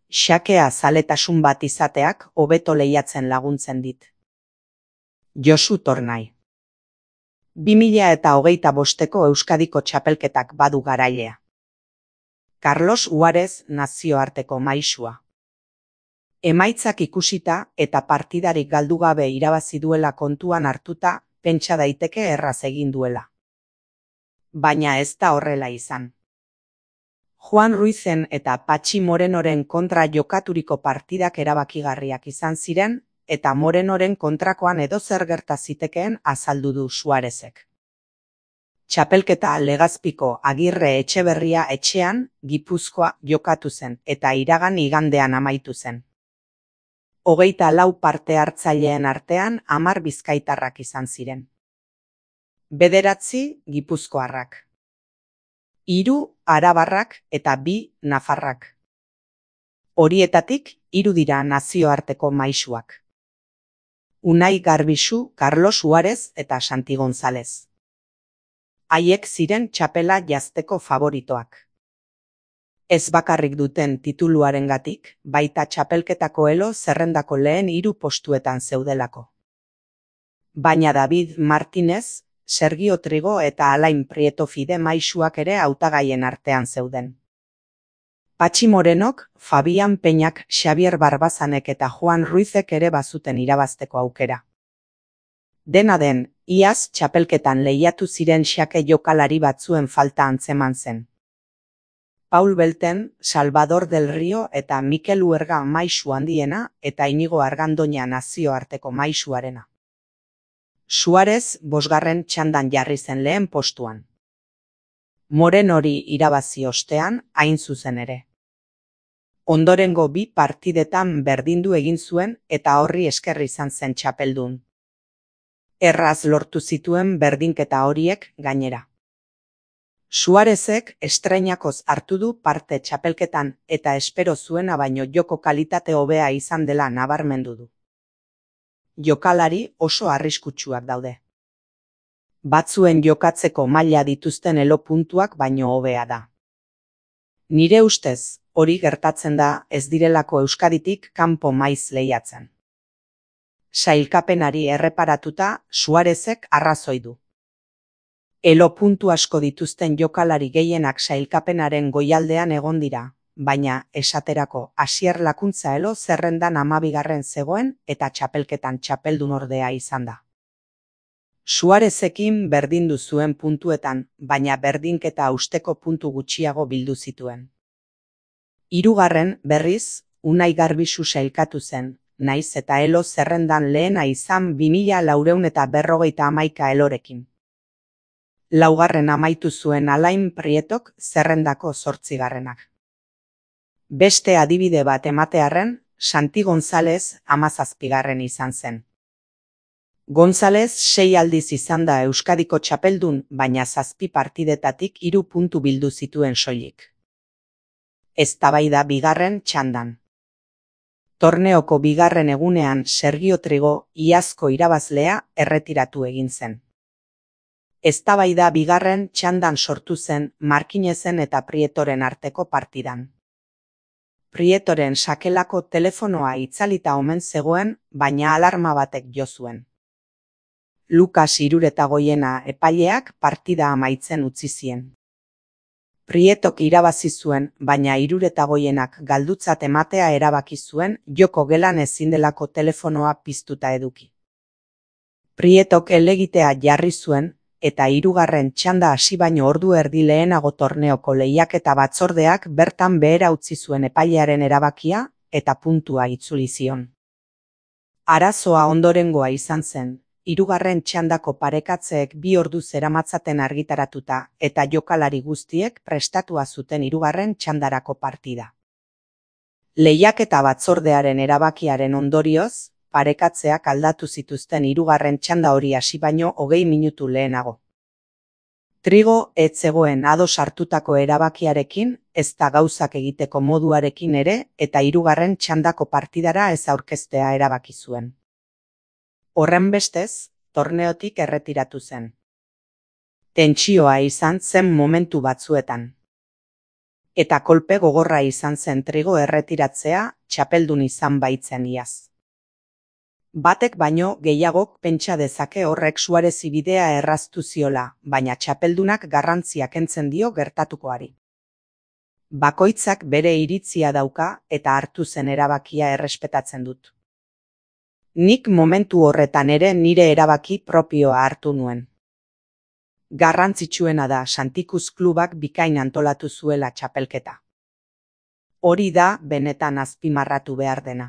xakea zaletasun bat izateak hobeto lehiatzen laguntzen dit. Josu Tornai. 2025ko Euskadiko txapelketak badu garailea. Carlos Uharez nazioarteko maisua. Emaitzak ikusita eta partidarik galdu gabe irabazi duela kontuan hartuta, pentsa daiteke erraz egin duela. Baina ez da horrela izan. Juan Ruizen eta Patxi Morenoren kontra jokaturiko partidak erabakigarriak izan ziren, eta Morenoren kontrakoan edozer gerta zitekeen azaldu du Suarezek. Txapelketa Legazpiko Agirre Etxeberria etxean, Gipuzkoa jokatu zen eta iragan igandean amaitu zen. 24 parte hartzaileen artean 10 bizkaitarrak izan ziren. 9 gipuzkoarrak. 3 arabarrak eta 2 nafarrak. Horietatik 3 dira nazioarteko maisuak. Unai Garbisu, Carlos Uharez eta Santi González. Haiek ziren txapela jazteko favoritoak. Ez bakarrik duten tituluarengatik, baita txapelketako elo zerrendako lehen 3 postuetan zeudelako. Baina David Martínez, Sergio Trigo eta Alain Prieto Fide maisuak ere hautagaien artean zeuden. Patxi Morenok, Fabian Peñak, Xavier Barbazanek eta Juan Ruizek ere bazuten irabazteko aukera. Dena den, iaz txapelketan lehiatu ziren xake jokalari batzuen falta antzeman zen. Paul Belten, Salvador del Rio eta Mikel Uerga maisu handiena eta Inigo Argandoña nazioarteko maisuarena. Suarez 5. txandan jarri zen lehen postuan. Morenori irabazi ostean, hain zuzen ere. Ondorengo 2 partidetan berdindu egin zuen eta horri esker izan zen txapeldun. Erraz lortu zituen berdinketa horiek gainera. Suarezek estreinakoz hartu du parte txapelketan eta espero zuena baino joko kalitate hobea izan dela nabarmendu du. Jokalari oso arriskutsuak daude. Batzuen jokatzeko maila dituzten elo puntuak baino hobea da. Nire ustez, hori gertatzen da ez direlako Euskaditik kanpo maiz lehiatzen. Sailkapenari erreparatuta, Suarezek arrazoi du. Elo puntu asko dituzten jokalari gehienak sailkapenaren goialdean egon dira, baina, esaterako, Asier Lakuntza elo zerrendan 12. zegoen eta txapelketan txapeldun ordea izan da. Suarezekin berdindu zuen puntuetan, baina berdinketa usteko puntu gutxiago bildu zituen. 3. berriz, Unai Garbisu sailkatu zen, naiz eta elo zerrendan lehena izan 2451 elorekin. 4. amaitu zuen Alain Prietok zerrendako 8. Beste adibide bat ematearren, Santi González 17. izan zen. González 6 aldiz izan da Euskadiko txapeldun, baina 7 partidetatik 3 puntu bildu zituen soilik. Eztabaida 2. txandan. Torneoko 2. egunean Sergio Trigo, iazko irabazlea, erretiratu egin zen. Eztabaida 2. txandan sortu zen Markinezen eta Prietoren arteko partidan. Prietoren sakelako telefonoa itzalita omen zegoen, baina alarma batek jo zuen. Lukas Iruretagoiena epaileak partida amaitzen utzi zien. Prietok irabazi zuen, baina Iruretagoienak galdutzat ematea erabaki zuen joko gelan ezin delako telefonoa piztuta eduki. Prietok helegitea jarri zuen, eta 3. txanda hasi baino ordu erdi lehenago torneoko lehiaketa batzordeak bertan behera utzi zuen epailearen erabakia eta puntua itzuli zion. Arazoa ondorengoa izan zen, 3. txandako parekatzeek 2 ordu zeramatzaten argitaratuta eta jokalari guztiek prestatua zuten 3. txandarako partida. Lehiaketa batzordearen erabakiaren ondorioz, parekatzeak aldatu zituzten 3. txanda hori hasi baino 20 minutu lehenago. Trigo ez zegoen ados hartutako erabakiarekin, ezta gauzak egiteko moduarekin ere, eta 3. txandako partidara ez aurkeztea erabaki zuen. Horrenbestez, torneotik erretiratu zen. Tentsioa izan zen momentu batzuetan. Eta kolpe gogorra izan zen Trigo erretiratzea txapeldun izan baitzen iaz. Batek baino gehiagok pentsa dezake horrek Suarezi bidea erraztu ziola, baina txapeldunak garrantzia kentzen dio gertatukoari. Bakoitzak bere iritzia dauka eta hartu zen erabakia errespetatzen dut. Nik momentu horretan ere nire erabaki propioa hartu nuen. Garrantzitsuena da Santikuz klubak bikain antolatu zuela txapelketa. Hori da benetan azpimarratu behar dena.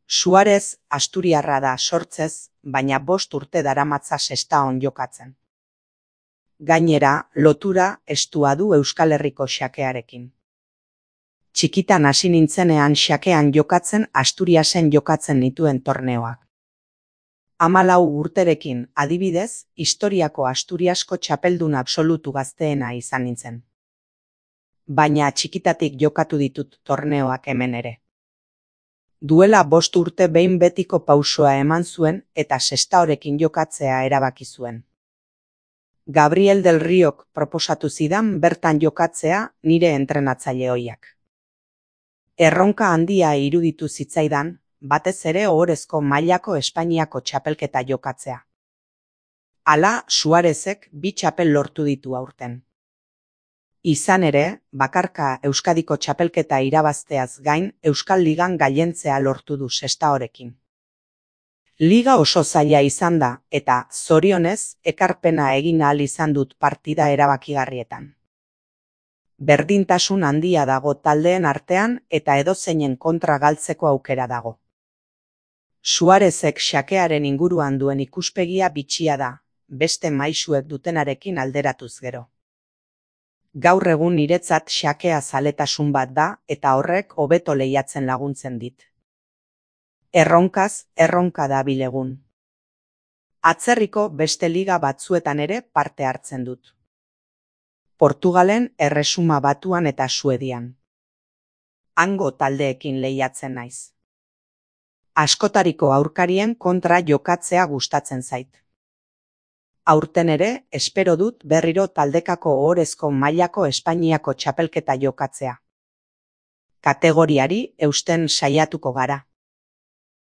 Suarez asturiarra da sortzez, baina 5 urte daramatza Sestaon jokatzen. Gainera, lotura estua du Euskal Herriko xakearekin. Txikitan hasi nintzenean xakean jokatzen Asturiasen jokatzen nituen torneoak. 14 urterekin, adibidez, historiako Asturiasko txapeldun absolutu gazteena izan nintzen. Baina txikitatik jokatu ditut torneoak hemen ere. Duela 5 urte behin betiko pausoa eman zuen eta Sestaorekin jokatzea erabaki zuen. Gabriel del Riok proposatu zidan bertan jokatzea nire entrenatzaile ohiak. Erronka handia iruditu zitzaidan, batez ere ohorezko mailako Espainiako txapelketa jokatzea. Hala, Suarezek 2 txapel lortu ditu aurten. Izan ere, bakarka Euskadiko txapelketa irabazteaz gain Euskal Ligan gailentzea lortu du Sestaorekin. Liga oso zaila izan da eta, zorionez, ekarpena egin ahal izan dut partida erabakigarrietan. Berdintasun handia dago taldeen artean eta edozeinen kontra galtzeko aukera dago. Suarezek xakearen inguruan duen ikuspegia bitxia da, beste maisuek dutenarekin alderatuz gero. Gaur egun niretzat xakea zaletasun bat da eta horrek hobeto lehiatzen laguntzen dit. Erronkaz, erronka dabil egun. Atzerriko beste liga batzuetan ere parte hartzen dut. Portugalen, Erresuma Batuan eta Suedian. Hango taldeekin lehiatzen naiz. Askotariko aurkarien kontra jokatzea gustatzen zait. Aurten ere, espero dut berriro taldekako ohorezko mailako Espainiako txapelketa jokatzea. Kategoriari eusten saiatuko gara.